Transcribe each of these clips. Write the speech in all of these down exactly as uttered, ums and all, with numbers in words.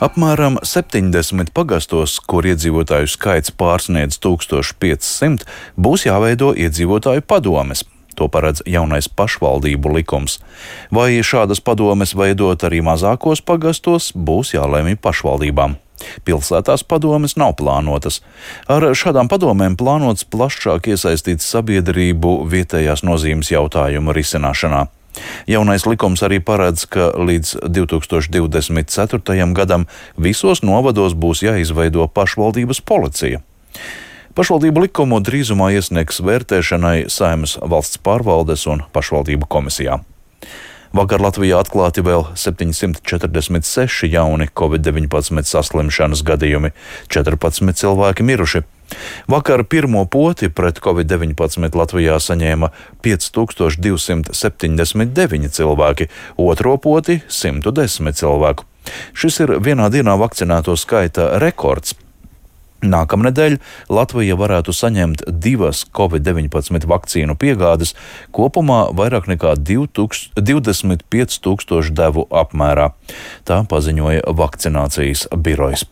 Apmēram septiņdesmit pagastos, kur iedzīvotāju skaits pārsniedz tūkstoš piecsimt, būs jāveido iedzīvotāju padomes. To paredz jaunais pašvaldību likums. Vai šādas padomes veidot arī mazākos pagastos, būs jālemj pašvaldībām. Pilsētās padomes nav plānotas. Ar šādām padomēm plānots plašāk iesaistīt sabiedrību vietējās nozīmes jautājumu risināšanā. Jaunais likums arī paredz, ka līdz divi tūkstoši divdesmit ceturtajam gadam visos novados būs jāizveido pašvaldības policija. Pašvaldību likumu drīzumā iesniegs vērtēšanai Saeimas valsts pārvaldes un pašvaldību komisijā. Vakar Latvijā atklāti vēl septiņsimt četrdesmit seši jauni covid deviņpadsmit saslimšanas gadījumi, četrpadsmit cilvēki miruši. Vakar pirmo poti pret covid deviņpadsmit Latvijā saņēma pieci tūkstoši divsimt septiņdesmit deviņi cilvēki, otro poti simt desmit cilvēku. Šis ir vienā dienā vakcinēto skaita rekords. Nākamnedēļ Latvija varētu saņemt divas covid deviņpadsmit vakcīnu piegādes, kopumā vairāk nekā divdesmit pieci tūkstoši devu apmērā. Tā paziņoja vakcinācijas birojs.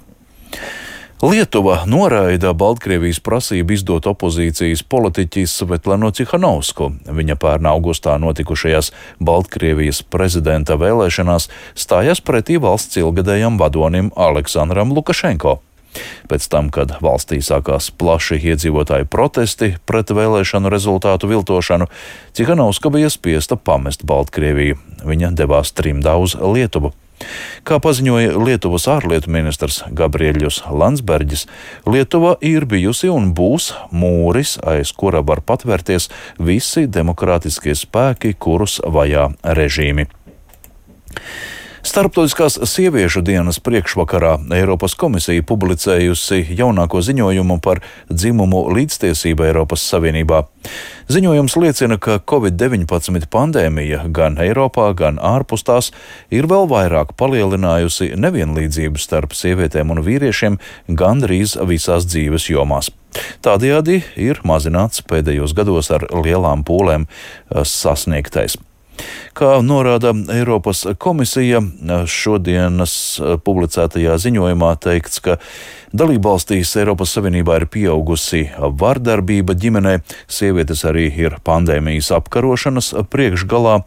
Lietuva noraida Baltkrievijas prasību izdot opozīcijas politiķi Svetlanu Cihanovsku. Viņa pērn augustā notikušajās Baltkrievijas prezidenta vēlēšanās stājās pretī valsts ilgadējam vadonim Aleksandram Lukašenko. Pēc tam, kad valstī sākās plaši iedzīvotāju protesti pret vēlēšanu rezultātu viltošanu, Cihanovska bija spiesta pamest Baltkrieviju. Viņa devās trimdā uz Lietuvu. Kā paziņoja Lietuvas ārlietu ministrs Gabriēļus Landsbergis, Lietuva ir bijusi un būs mūris, aiz kura var patvērties visi demokrātiskie spēki, kurus vajā režīmi. Starptautiskās sieviešu dienas priekšvakarā Eiropas komisija publicējusi jaunāko ziņojumu par dzimumu līdztiesību Eiropas Savienībā. Ziņojums liecina, ka covid deviņpadsmit pandēmija gan Eiropā, gan ārpus tās ir vēl vairāk palielinājusi nevienlīdzību starp sievietēm un vīriešiem gandrīz visās dzīves jomās. Tādējādi ir mazināts pēdējos gados ar lielām pūlēm sasniegtais. Kā norāda Eiropas komisija, šodienas publicētajā ziņojumā teikts, ka dalībvalstīs Eiropas Savienībā ir pieaugusi vardarbība ģimenē, sievietes arī ir pandēmijas apkarošanas priekšgalā.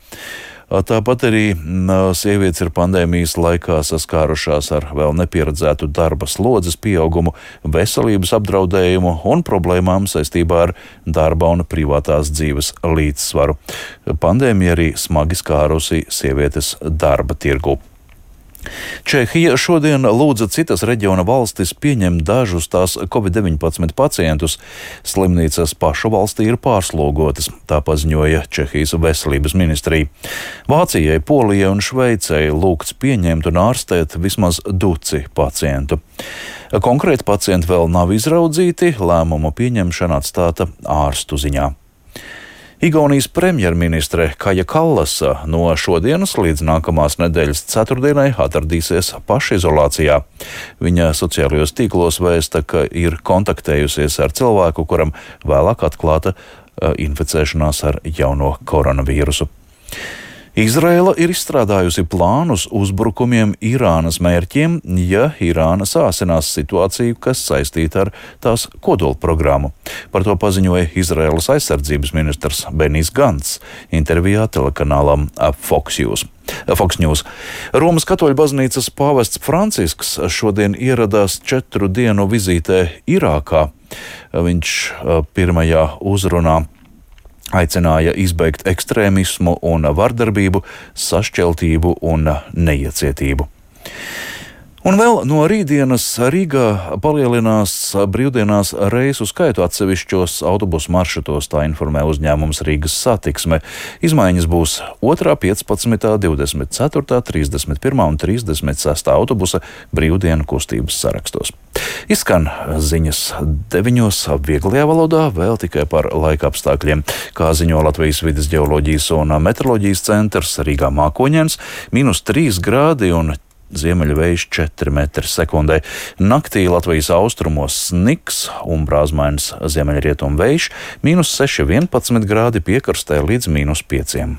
Tāpat arī sievietes ir pandēmijas laikā saskārušās ar vēl nepieredzētu darba slodzes pieaugumu, veselības apdraudējumu un problēmām saistībā ar darba un privātās dzīves līdzsvaru. Pandēmija arī smagi skārusi sievietes darba tirgu. Čehija šodien lūdza citas reģiona valstis pieņemt dažus tās covid deviņpadsmit pacientus. Slimnīcas pašu valstī ir pārslogotas, tā paziņoja Čehijas veselības ministrija. Vācijai, Polijai un Šveicei lūgts pieņemt un ārstēt vismaz duci pacientu. Konkrēti pacienti vēl nav izraudzīti, lēmumu pieņemšana atstāta ārstu ziņā. Igaunijas premjerministre Kaja Kallasa no šodienas līdz nākamās nedēļas ceturtdienai atradīsies pašizolācijā. Viņa sociālajos tīklos vēsta, ka ir kontaktējusies ar cilvēku, kuram vēlāk atklāta inficēšanās ar jauno koronavīrusu. Izraela ir izstrādājusi plānus uzbrukumiem Irānas mērķiem, ja Irāna sāsinās situāciju, kas saistīta ar tās kodolprogrammu. Par to paziņoja Izraēlas aizsardzības ministrs Benijs Gants intervijā telekanālam Fox News. Fox News. Romas katoļu baznīcas pāvests Francisks šodien ieradās četru dienu vizītē Irākā. Viņš pirmajā uzrunā aicināja izbeigt ekstrēmismu un vardarbību, sašķeltību un neiecietību. Un vēl no rītdienas Rīgā palielinās brīvdienās reisu skaitu atsevišķos autobusu maršrutos, tā informē uzņēmums Rīgas Satiksme. Izmaiņas būs otrā, piecpadsmitā, divdesmit ceturtā, trīsdesmit pirmā un trīsdesmit sestā autobusa brīvdienu kustības sarakstos. Izskan ziņas deviņos vieglajā valodā, vēl tikai par laika apstākļiem. Kā ziņo Latvijas vides ģeoloģijas un meteoroloģijas centrs Rīgā Mākoņens, mīnus trīs grādi un ziemeļvējš četri metri sekundē. Naktī Latvijas austrumos sniks un brāzmains ziemeļrietumu vējš, mīnus seši vienpadsmit grādi piekrastē līdz mīnus pieciem.